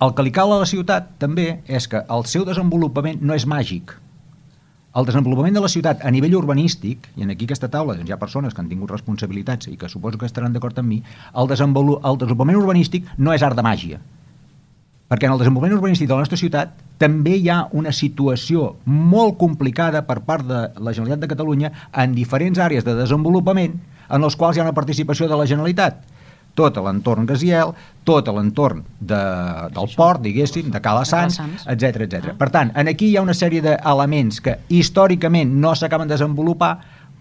El que li cal a la ciutat també és que el seu desenvolupament no és màgic. El desenvolupament de la ciutat a nivell urbanístic, i en aquí aquesta taula doncs, hi ha persones que han tingut responsabilitats i que suposo que estaran d'acord amb mi, el desenvolupament urbanístic no és art de màgia. Perquè en el desenvolupament urbanístic de la nostra ciutat també hi ha una situació molt complicada per part de la Generalitat de Catalunya en diferents àrees de desenvolupament en els quals hi ha una participació de la Generalitat. Tot l'entorn Gaziel, tot l'entorn del port, diguéssim, de Calassanç, etc. Per tant, aquí hi ha una sèrie d'elements que històricament no s'acaben de desenvolupar.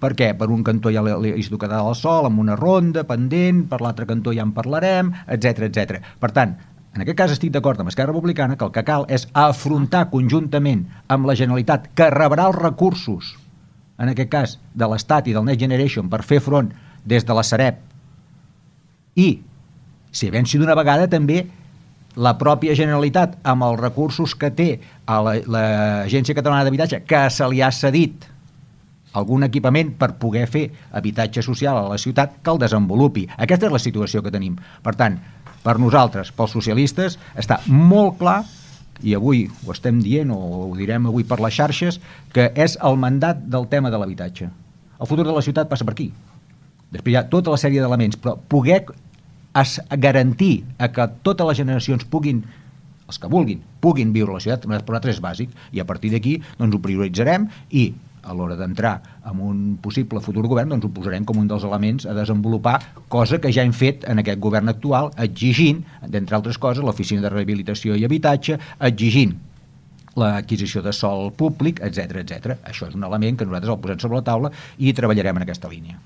Per què? Per un cantó hi ha l'Institut Català del Sòl amb una ronda pendent, per l'altre cantó ja en parlarem, etc. Per tant, en aquest cas estic d'acord amb Esquerra Republicana que el que cal és afrontar conjuntament amb la Generalitat, que rebrà els recursos, en aquest cas de l'Estat i del Next Generation, per fer front des de la Sareb, i, si venci d'una vegada, també la pròpia Generalitat, amb els recursos que té a l'Agència Catalana d'Habitatge, que se li ha cedit algun equipament per poder fer habitatge social a la ciutat, que el desenvolupi. Aquesta és la situació que tenim. Per tant, per nosaltres, pels socialistes, està molt clar, i avui ho estem dient, o ho direm avui per les xarxes, que és el mandat del tema de l'habitatge. El futur de la ciutat passa per aquí. Després hi ha tota la sèrie d'elements, però poder garantir que totes les generacions puguin, els que vulguin, puguin viure a la ciutat, per nosaltres és bàsic, i a partir d'aquí doncs, ho prioritzarem i a l'hora d'entrar en un possible futur govern doncs ho posarem com un dels elements a desenvolupar, cosa que ja hem fet en aquest govern actual, exigint, d'entre altres coses, l'Oficina de Rehabilitació i Habitatge, exigint l'adquisició de sòl públic, etc. Això és un element que nosaltres el posem sobre la taula i treballarem en aquesta línia.